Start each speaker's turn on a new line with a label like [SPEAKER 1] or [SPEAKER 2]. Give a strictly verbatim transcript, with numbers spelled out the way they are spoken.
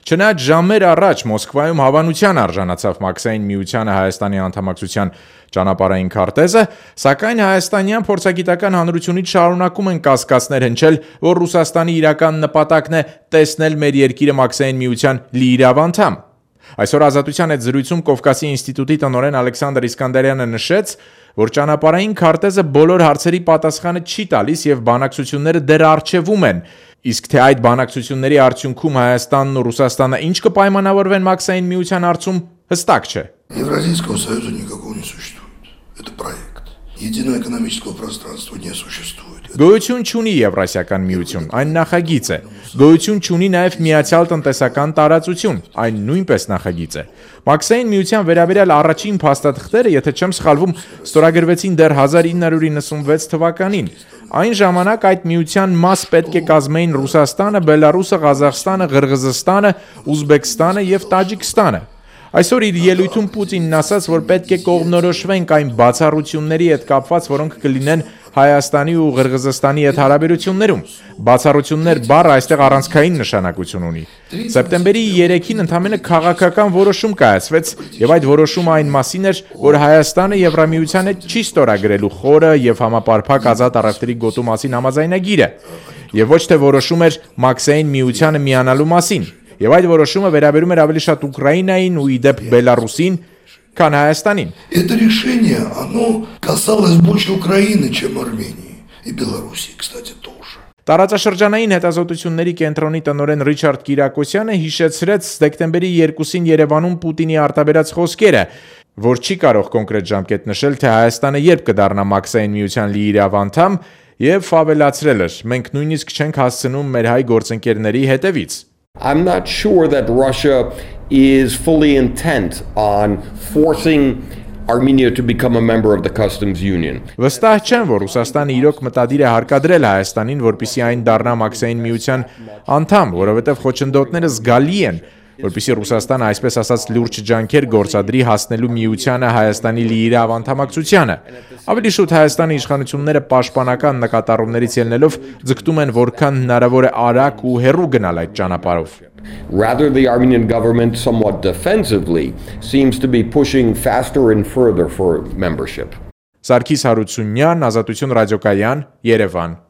[SPEAKER 1] Չնայած ժամեր առաջ Մոսկվայում հավանության արժանացավ Մաքսային միությանը Հայաստանի անդամակցության ճանապարհային քարտեզը, սակայն հայաստանյան փորձագիտական հանրությունից շարունակում են կասկածներ հնչել, որ Ռուսաստանի իրական նպատակն է տեսնել մեր երկիրը Մաքսային միության լիիրավ անդամ։ Այսօր Ազատության հետ զրույցում Կովկասի ինստիտուտի տնօրեն Ալեքսանդր Իսկանդարյանը նշեց, որ ճանապարհային քարտեզը բոլոր հարցերի պատասխանը չի տալիս եւ բանակցությունները դեռ առջևում են, իսկ թե այդ բանակցությունների արդյունքում Հայաստանն ու Ռուսաստանը ինչ կպայմանավորվեն Մաքսային միության հարցում, հստակ չէ։
[SPEAKER 2] Евразийского союза никакого не существует. Это проект. Единого экономического пространства не существует.
[SPEAKER 1] Գոյություն չունի Եվրասիական միություն, այն նախագիծ է։ Գոյություն չունի նաև միացյալ տնտեսական տարածություն, այն նույնպես նախագիծ է։ Մաքսային միության վերաբերյալ առաջին փաստաթղթերը, եթե չեմ սխալվում, ստորագրվեցին դեռ հազար ինը հարյուր իննսունվեց թվականին։ Այն ժամանակ այդ միության մաս պետք է կազմեին Ռուսաստանը, Բելարուսը, Ղազախստանը, Ղրղզստանը, Ուզբեկստանը եւ Տաջիկստանը։ Այսօր իր ելույթում Պուտինն ասաց, որ պետք է կողմնորոշվենք այն բացառությունների հետ կապված, որոնք կլինեն Հայաստանի ու Ղրղզստանի հետ հարաբերություններում։ Բացառություններ բառը այստեղ առանցքային նշանակություն ունի։ Սեպտեմբերի երեքին ընդամենը քաղաքական որոշում կայացվեց, եւ այդ որոշումը այն մասին էր, որ Հայաստանը Եվրամիության հետ չի ստորագրելու խորը եւ համապարփակ ազատ առևտրի գոտու մասին համաձայնագիրը, եւ ոչ թե որոշում էր Մաքսային միությանը միանալու մասին։ Եվ այդ որոշումը վերաբերում էր ավելի շատ Ուկրաինային ու իդեպ Բելարուսին, քան Հայաստանին։
[SPEAKER 2] Это решение, оно касалось больше Украины, чем Армении и Белоруссии, кстати, тоже.
[SPEAKER 1] Տարածաշրջանային հետազոտությունների կենտրոնի տնօրեն Ռիչարդ Կիրակոսյանը հիշեցրեց դեկտեմբերի երկուսին Երևանում Պուտինի արտաբերած խոսքերը, որ չի կարող կոնկրետ ժամկետ նշել, թե Հայաստանը երբ կդառնա Մաքսային միության լիիրավ անդամ, եւ ավելացրել էր. մենք նույնիսկ չենք հասցնում մեր հայ գործընկերների հետևից։
[SPEAKER 3] I'm not sure that Russia is fully intent on forcing Armenia to become a member of the customs union.
[SPEAKER 1] Վստահ չեմ, որ Ռուսաստանը իրոք մտադիր է հարկադրել Հայաստանին, որպեսզի այն դառնա Մաքսային միության անդամ, որովհետև խոչընդոտները զգալի են, որպեսզի Ռուսաստանը այսպես ասած լուրջ ջանքեր գործադրի հասնելու միությանը Հայաստանի լիիրավ անդամակցությանը։ Ավելի շուտ Հայաստանի իշխանությունները պաշտպանական նկատառումներից ելնելով ձգտում են որքան հնարավոր է արագ ու հեռու գնալ այդ ճանապարհով։
[SPEAKER 3] Rather, the Armenian government somewhat defensively seems to be pushing faster and further for membership.
[SPEAKER 1] Սարգիս Հարությունյան, Ազատություն ռադիոկայան, Երևան։